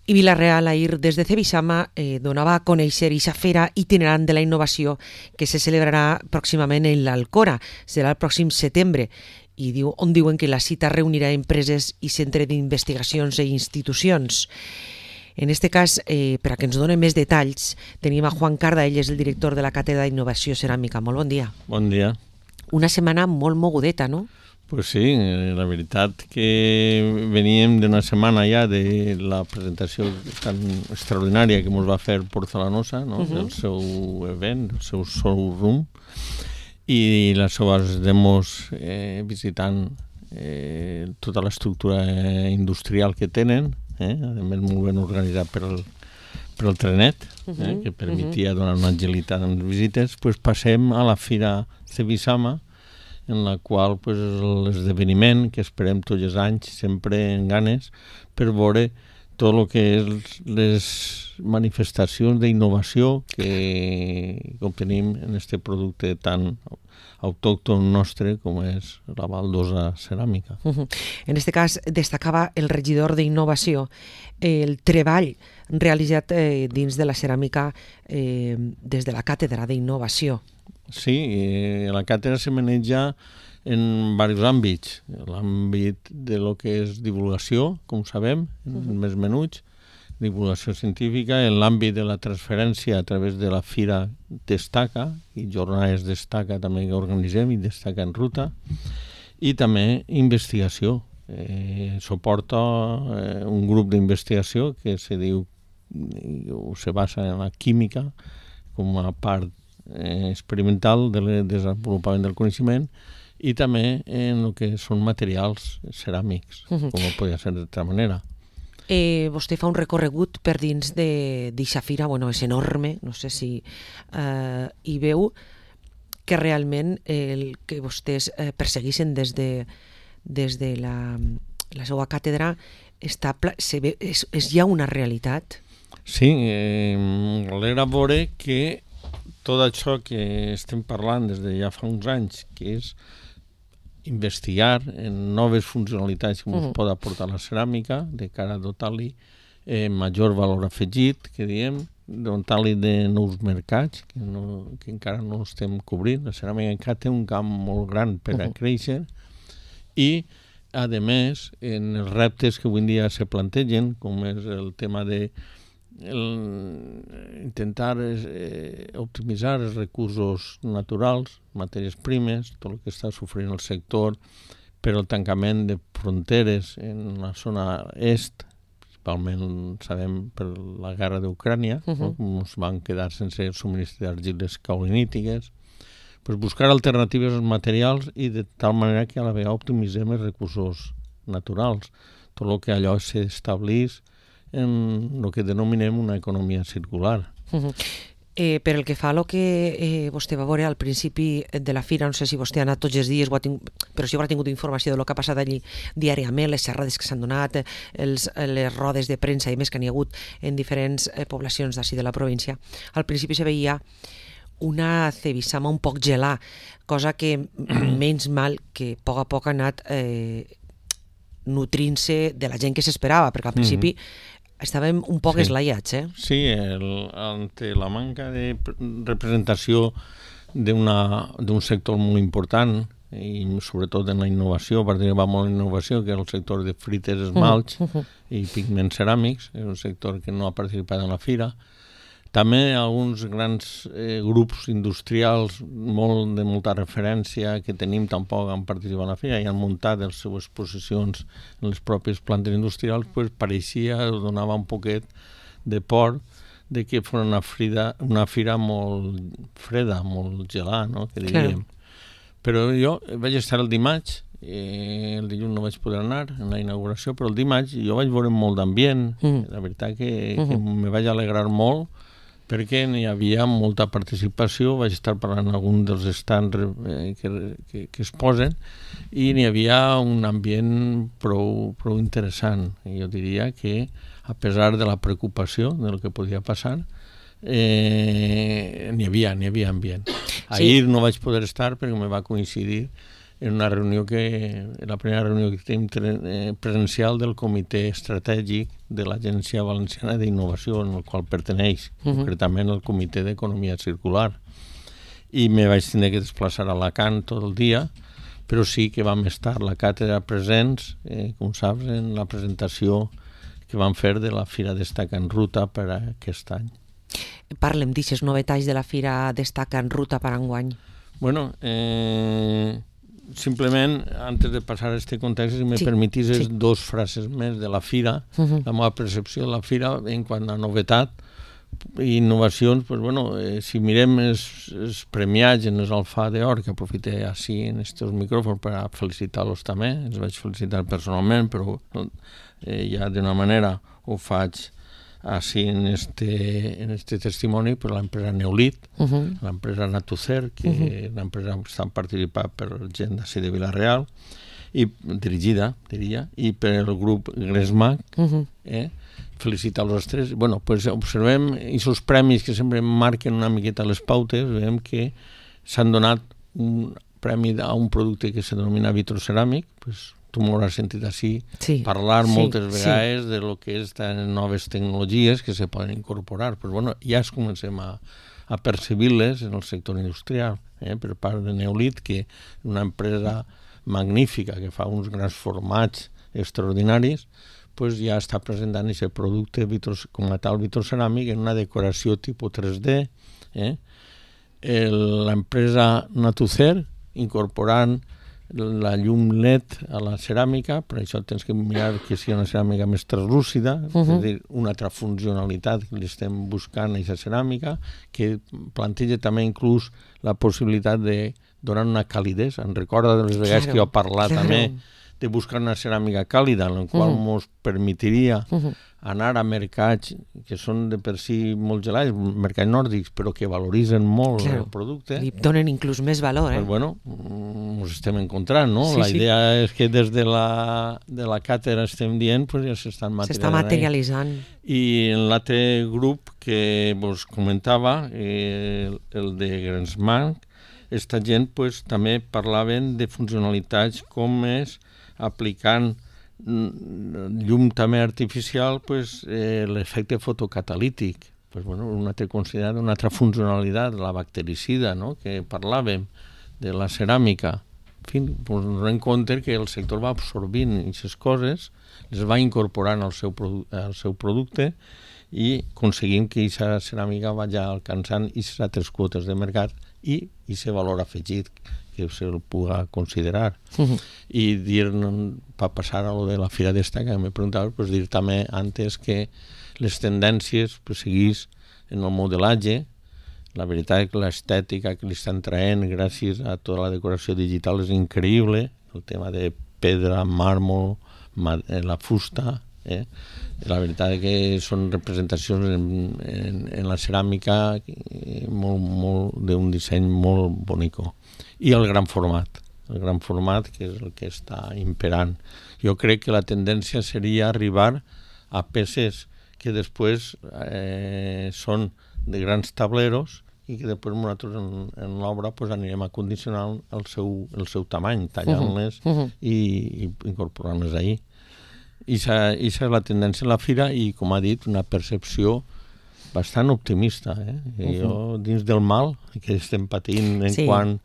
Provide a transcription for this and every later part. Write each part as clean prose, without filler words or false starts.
I Vila-real ahir des de Cebisama donava a conèixer aquesta fera itinerant de la innovació que se celebrarà pròximament en l'Alcora, serà el pròxim setembre, i on diuen que la cita reunirà empreses i centre d'investigacions i institucions. En aquest cas, per a que ens donen més detalls, tenim a Juan Carda, ell és el director de la Càtedra d'Innovació Ceràmica. Molt bon dia. Bon dia. Una setmana molt mogudeta, no? Pues sí, la veritat que veníem d'una setmana ja de la presentació tan extraordinària que ens va fer Porcelanosa, no? El seu event, el seu showroom, i les seves demos visitant tota l'estructura industrial que tenen, a més molt ben organitzat per el trenet, que permetia donar una agilitat en les visites. Pues passem a la Fira Cebisama, en la qual l'esdeveniment que esperem tots els anys, sempre en ganes, per veure tot el que és les manifestacions d'innovació que obtenim en aquest producte tan autòcton nostre com és la baldosa ceràmica. En aquest cas destacava el regidor d'Innovació el treball realitzat dins de la ceràmica des de la Càtedra d'Innovació. Sí, la càtedra se maneja en diversos àmbits. L'àmbit de lo que és divulgació, com sabem, més menuts, divulgació científica, en l'àmbit de la transferència a través de la Fira Destaca, i jornades Destaca també que organitzem, i Destaca en ruta, i també investigació. Suporta un grup d'investigació que se diu, se basa en la química com a part experimental del desenvolupament del coneixement i també en el que són materials ceràmics, com no podia ser d'altra manera. Vostè fa un recorregut per dins d'eixa fira, és enorme, no sé si hi veu que realment el que vostès persegueixen des de la seva càtedra és ja una realitat? Sí, m'alegra veure que tot això que estem parlant des de ja fa uns anys, que és investigar en noves funcionalitats que ens pot aportar la ceràmica de cara a dotar-li major valor afegit, que diem, dotar-li de nous mercats que encara no estem cobrint. La ceràmica encara té un camp molt gran per a créixer i, a més, en els reptes que avui en dia se plantegen, com és el tema de intentar optimitzar els recursos naturals, matèries primes, tot el que està sofrint el sector per el tancament de fronteres en la zona est, principalment sabem per la guerra d'Ucrània, ens van quedar sense subministre d'argiles caolinítiques, buscar alternatives als materials i de tal manera que a la vegada optimitzem els recursos naturals, tot el que allò s'establís en el que denominem una economia circular. Per el que fa a el que vostè va veure al principi de la fira, no sé si vostè ha anat tots els dies, però si haurà tingut informació del que ha passat allí diàriament, les xerrades que s'han donat, les rodes de premsa i més que n'hi ha hagut en diferents poblacions d'ací de la província. Al principi se veia una Cebisama un poc gelà, cosa que menys mal que a poc ha anat nutrint-se de la gent que s'esperava, perquè al principi estàvem un poc eslaiats. Sí, ante la manca de representació d'un sector molt important i sobretot en la innovació, a partir que va molt en innovació, que és el sector de frites, esmalts i pigments ceràmics, és un sector que no ha participat en la fira. També alguns grans grups industrials de molta referència que tenim tampoc han participat en la fira i han muntat les seves exposicions en les pròpies plantes industrials, pareixia, donava un poquet de por de que fos una fira molt freda, molt gelada, no? Que diríem. Però jo vaig estar el dimarts, el dilluns no vaig poder anar en la inauguració, però el dimarts jo vaig veure molt d'ambient, la veritat que me vaig alegrar molt, perquè n'hi havia molta participació, vaig estar parlant amb algun dels stands que es posen i n'hi havia un ambient prou interessant. I jo diria que, a pesar de la preocupació del que podia passar, n'hi havia ambient. Ahir no vaig poder estar perquè me va coincidir en una reunió la primera reunió que tenim presencial del Comitè Estratègic de l'Agència Valenciana d'Innovació, en el qual perteneix, concretament el Comitè d'Economia Circular. I me vaig tenir que desplaçar a Alacant tot el dia, però sí que vam estar la càtedra presents, com saps, en la presentació que vam fer de la Fira Destaca en Ruta per a aquest any. Parlem d'aixes novetats de la Fira Destaca en Ruta per enguany. Bueno, simplement, antes de passar a aquest context, si me permetis dos frases més de la Fira, la meva percepció de la Fira en quant a novetat i innovacions. Pues bueno, si mirem els premiats en els Alfà d'Or, que aprofité així en aquests micròfons per a felicitar-los també, els vaig felicitar personalment, però ja d'una manera ho faig així en este testimoni per l'empresa Neolit, l'empresa Natucer, que l'empresa està participada per gent d'ací de Vila-real, i dirigida, diria, i per el grup Gresmac, felicitar-los els tres. Bueno, pues observem aquests premis que sempre marquen una miqueta les pautes, veiem que s'han donat un premi a un producte que se denomina vitroceràmic, pues tu m'hauràs sentit així parlar moltes vegades de lo que és noves tecnologies que se poden incorporar. Però bueno, ja es comencem a percebir-les en el sector industrial, per part de Neolit, que és una empresa magnífica que fa uns grans formats extraordinaris, pues ja està presentant aquest producte com a tal vitroceràmic en una decoració tipus 3D. L'empresa Natucer incorporant la llum LED a la ceràmica, per això tens que mirar que sigui una ceràmica més translúcida, és a dir, una altra funcionalitat que li estem buscant a aquesta ceràmica, que planteja també inclús la possibilitat de donar una calidesa. Em recorda de les vegades que jo he parlat també de buscar una ceràmica càlida, en la qual ens permetiria anar a mercats que són de per si molt gelats, mercats nòrdics, però que valoritzen molt el producte. I donen inclús més valor. Pues bueno, ens estem encontrant, no? La idea és que des de la càtedra estem dient, pues ja s'estan materialitzant. S'està materialitzant. I en l'altre grup que vos comentava, el de Gresmac, aquesta gent pues, també parlaven de funcionalitats com és aplicant llum també artificial, pues, l'efecte fotocatalític. Pues, bueno, una altra considerada una altra funcionalitat, la bactericida, no?, que parlàvem de la ceràmica. En fi, pues, ens donem compte que el sector va absorbint aquestes coses, les va incorporant al seu producte i aconseguim que aquesta ceràmica vagi alcançant aquestes altres quotes de mercat i aquest valor afegit que se'l pugui considerar. I dir, per passar a lo de la Fira Destaca, que m'he preguntat, pues dir també antes que les tendències pues, seguís en el modelatge. La veritat és que l'estètica que li estan traient gràcies a tota la decoració digital és increïble, el tema de pedra, màrmol, la fusta, la veritat és que són representacions en la ceràmica d'un disseny molt bonico. I el gran format que és el que està imperant. Jo crec que la tendència seria arribar a peces que després són de grans tableros i que després nosaltres en l'obra pues, anirem a condicionar el seu tamany, tallant-les i incorporant-les ahí. I aquesta és la tendència a la fira i, com ha dit, una percepció bastant optimista. Jo, dins del mal que estem patint en quant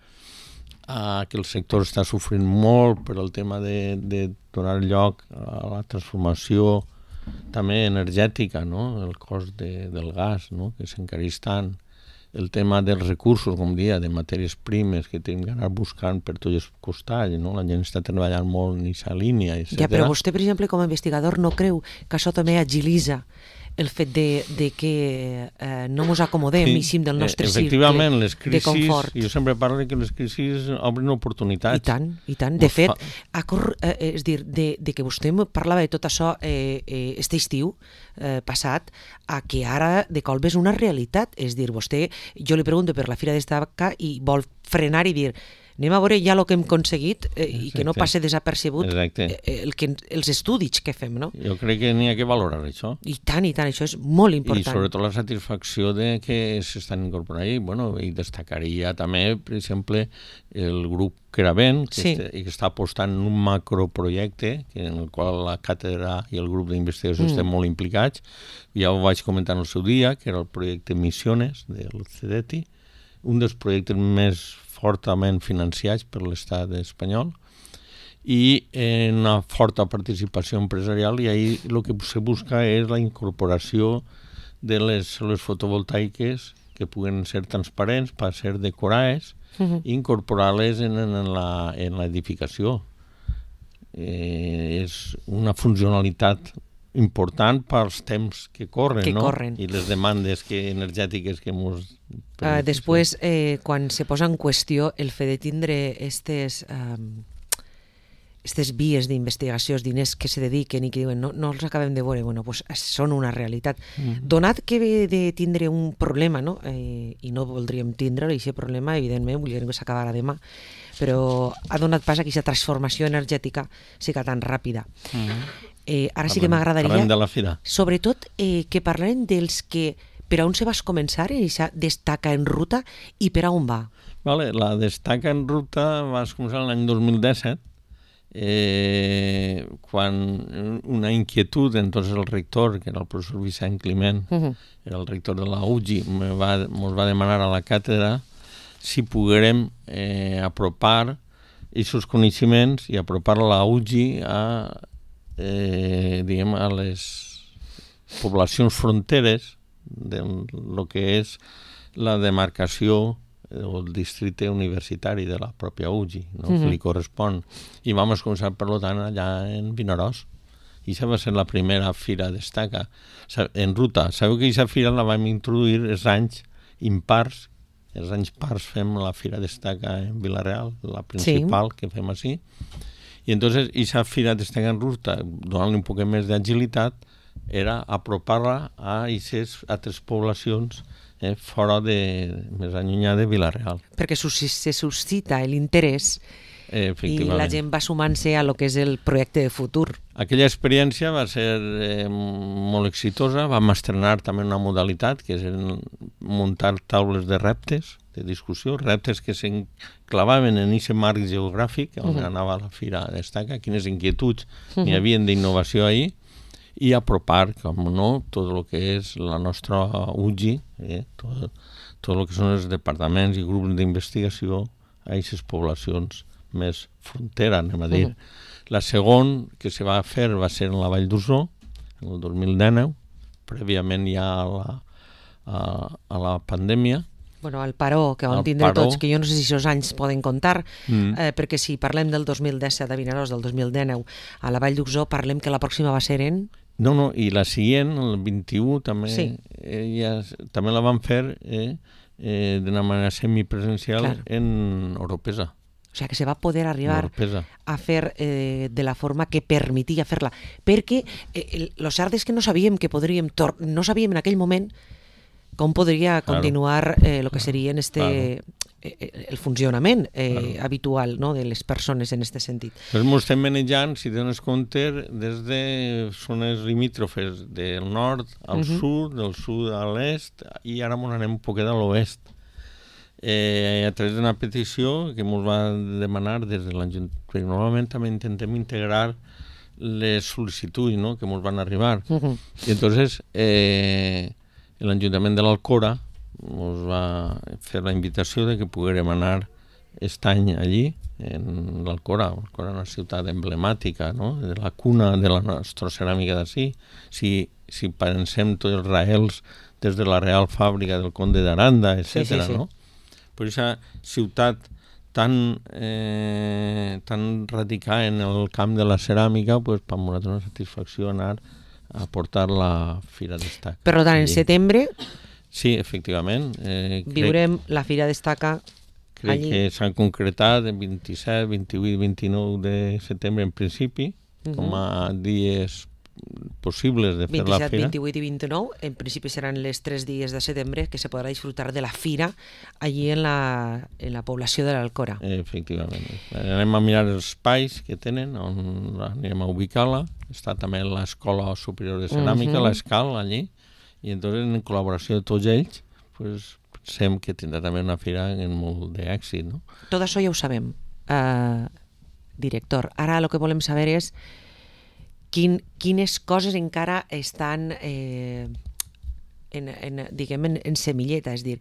a que el sector està sofrint molt per el tema de donar lloc a la transformació també energètica, no? El cost del gas, no? Que s'encareix tant. El tema dels recursos, com dia, de matèries primes que tenim que anar buscant per tots els costats, no? La gent està treballant molt en aquesta línia, etc. Ja, però vostè, per exemple, com a investigador, no creu que això també agilitza el fet de que no ens acomodem del nostre cercle de confort. Jo sempre parlo que les crisis obren oportunitats. I tant. De fet, és dir, de que vostè parlava de tot això este estiu passat, a que ara de colp és una realitat. És dir, vostè, jo li pregunto per la Fira Destaca i vol frenar i dir anem a veure ja el que hem aconseguit i que no passe desapercebut els estudis que fem, no? Jo crec que n'hi ha que valorar això. I tant, això és molt important. I sobretot la satisfacció de que s'estan incorporant ahí. Bueno, i destacaria també, per exemple, el grup Creavent, que està apostant en un macroprojecte en el qual la càtedra i el grup d'investigació estem molt implicats. Ja ho vaig comentar en el seu dia, que era el projecte Missiones del CEDETI, un dels projectes més fortament financiats per l'estat espanyol i una forta participació empresarial, i ahí el que se busca és la incorporació de les cèl·lules fotovoltaiques que puguen ser transparents per ser decorades i incorporar-les en l'edificació. És una funcionalitat important pels temps que corren, i les demandes energètiques que ens... Després, quan se posa en qüestió el fet de tindre aquestes vies d'investigació, els diners que se dediquen i que diuen no els acabem de veure, bueno, pues són una realitat. Donat que ve de tindre un problema, no? I no voldríem tindre aquest problema, evidentment, voldríem que s'acabara demà, però ha donat pas a aquesta transformació energètica siga tan ràpida. Ara sí que m'agradaria, sobretot, que parlem dels que per a on se vas començar en aquesta destaca en ruta i per a on va. La destaca en ruta vas començar l'any 2017, quan una inquietud, entonces el rector, que era el professor Vicent Climent, era el rector de la UGI, ens va demanar a la càtedra si poguérem apropar aquests coneixements i apropar la UGI a les poblacions fronteres del que és la demarcació o el districte universitari de la pròpia UGI, que li correspon. I vam començar, per tant, allà en Vinaròs. I això va ser la primera fira destaca en ruta. Sabeu que aquesta fira la vam introduir els anys impars. Els anys pars fem la fira destaca en Vila-real, la principal que fem així. I entonces, aquesta fira destaca en ruta, donant-li un poc més d'agilitat, era apropar-la a aquestes altres poblacions fora més allunyada de Vila-real. Perquè se suscita l'interès i la gent va sumant-se a lo que és el projecte de futur. Aquella experiència va ser molt exitosa. Vam estrenar també una modalitat que és muntar taules de reptes, de discussió, reptes que s'enclavaven en aquest marc geogràfic on anava la fira destaca, quines inquietuds n'hi havia d'innovació ahir, i apropar, com no, tot el que és la nostra UGI, tot el que són els departaments i grups d'investigació a aquestes poblacions més frontera, anem a dir. La segona que se va fer va ser en la Vall d'Ursó, en el 2019, prèviament ja a la pandèmia. Bueno, el paró que vam tindre tots, que jo no sé si aquests anys poden comptar, perquè si parlem del 2017 a Vinaròs, del 2019 a la Vall d'Ursó, parlem que la pròxima va ser en... No, i la següent, el 21, també la vam fer d'una manera semipresencial en Oropesa. O sigui, que se va poder arribar a fer de la forma que permetia fer-la. Perquè el cert és que no sabíem no sabíem en aquell moment com podria continuar el que seria el funcionament habitual de les persones en aquest sentit. Doncs ens estem manejant, si dones compte, des de zones limítrofes del nord al sud, del sud a l'est, i ara ens anem un poquet a l'oest. A través d'una petició que ens va demanar des de l'Ajuntament. Normalment també intentem integrar les sol·licituds que ens van arribar. I entonces l'Ajuntament de l'Alcora ens va fer la invitació de que poguérem anar aquest any allí, en l'Alcora. L'Alcora és una ciutat emblemàtica, de la cuna de la nostra ceràmica d'ací. Si pensem tots els raels des de la Real Fàbrica del Conde d'Aranda, etc., no? Per aquesta ciutat tan radicada en el camp de la ceràmica, per nosaltres una satisfacció anar a portar la Fira Destaca. Per tant, en setembre... Sí, efectivament. Viurem la Fira Destaca allí. Crec que s'han concretat el 27, 28 i 29 de setembre en principi, com a dies possibles de fer la 27, fira. 28 i 29, en principi seran les 3 dies de setembre que se podrà disfrutar de la fira allí en la població de l'Alcora. Efectivament. Anem a mirar els espais que tenen, on anirem a ubicar-la. Està també l'Escola Superior de Ceràmica, l'ESCAL, allí, i entonces en col·laboració de tots ells, pues, pensem que tindrà també una fira amb molt d'èxit, no? Tot això ja ho sabem, director. Ara el que volem saber és quines coses encara estan en semilleta, és a dir,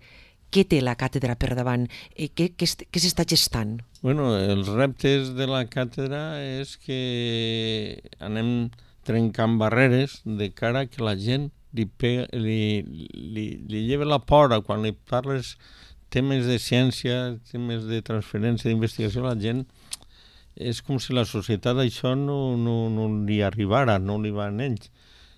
què té la càtedra per davant? Què s'està gestant? Bueno, els reptes de la càtedra és que anem trencant barreres de cara que la gent li lleva la por quan li parles temes de ciència, temes de transferència d'investigació, la gent és com si la societat això no li arribara, no li va en ells.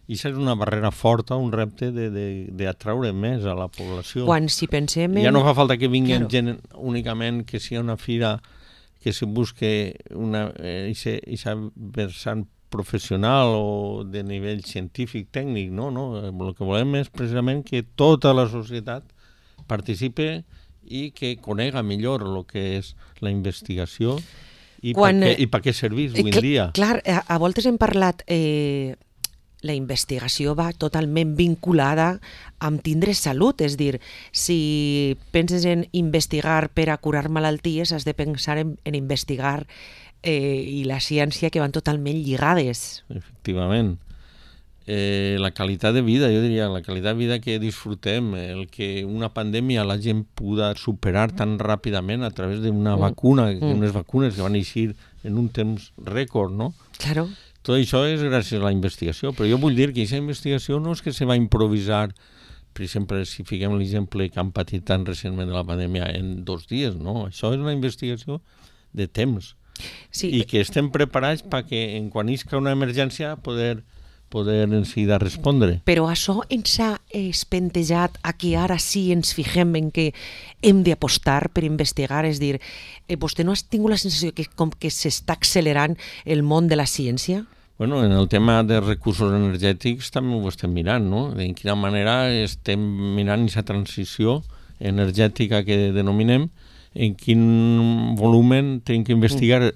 I això és una barrera forta, un repte d'atraure més a la població. Quan si pensem... Ja no fa falta que vinguin gent únicament que sigui una fira que se busque aquesta vessant professional o de nivell científic, tècnic, no. El que volem és precisament que tota la societat participe i que conega millor el que és la investigació i per què serveix avui en dia. Clar, a voltes hem parlat... la investigació va totalment vinculada amb tindre salut, és dir, si penses en investigar per a curar malalties, has de pensar en investigar i la ciència que van totalment lligades. Efectivament. La qualitat de vida, jo diria, la qualitat de vida que disfrutem, el que una pandèmia la gent pugui superar tan ràpidament a través d'una vacuna, unes vacunes que van eixir en un temps rècord, no? Claro. Tot això és gràcies a la investigació, però jo vull dir que aquesta investigació no és que se va improvisar, per exemple, si fiquem l'exemple que han patit tan recentment de la pandèmia en 2 dies, no? Això és una investigació de temps. Sí. I que estem preparats perquè quan isca una emergència poder en seguida respondre. Però això ens ha espentejat a que ara sí ens fixem en que hem d'apostar per investigar, és dir, vostè no ha tingut la sensació que com que s'està accelerant el món de la ciència? Bueno, en el tema de recursos energètics també ho estem mirant, no? De quina manera estem mirant aquesta transició energètica que denominem, en quin volumen tenim que investigar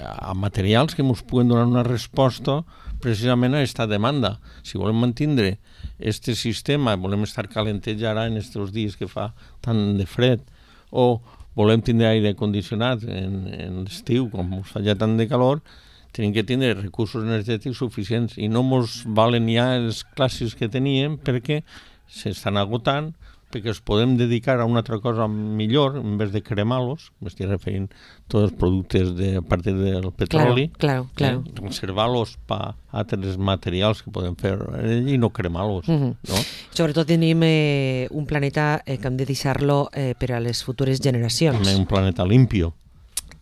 a materials que ens puguen donar una resposta precisament a aquesta demanda. Si volem mantindre aquest sistema, volem estar calentets ara en aquests dies que fa tant de fred, o volem tindre aire condicionat en l'estiu, com ens fa ja tant de calor, tenim que tindre recursos energètics suficients i no ens valen ja els clàssics que teníem perquè s'estan agotant, perquè els podem dedicar a una altra cosa millor, en vez de cremar-los, m'estic referint a tots els productes a partir del petroli, claro. conservar-los per altres materials que podem fer i no cremar-los. No? Sobretot tenim un planeta que hem de deixar-lo per a les futures generacions. També un planeta limpio.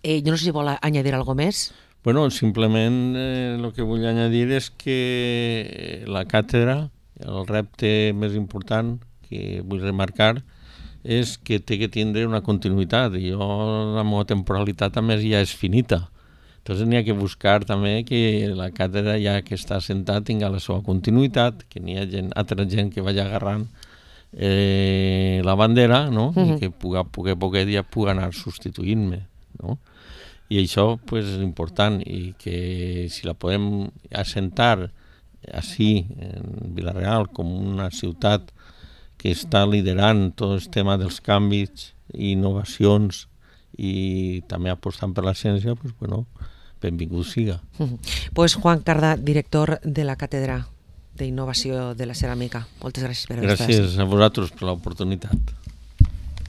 Jo no sé si vol añadir algo més. Bueno, simplement el que vull añadir és que la càtedra, el repte més important que vull remarcar és que té que tindre una continuïtat. La meva temporalitat també ja és finita. Entonces n'hi ha que buscar també que la càtedra ja que està assentada tingui la seva continuïtat, que n'hi ha altra gent que vagi agarrant la bandera, no? I que poc dia pugui anar substituint-me, no? I això pues, és important i que si la podem assentar així en Vila-real com una ciutat que està liderant tot el tema dels canvis i innovacions i també apostant per la ciència, pues, bueno, benvingut siga. Pues Juan Carda, director de la Càtedra d'Innovació de la Ceràmica. Moltes gràcies per haver estat. Gràcies a vosaltres per l'oportunitat.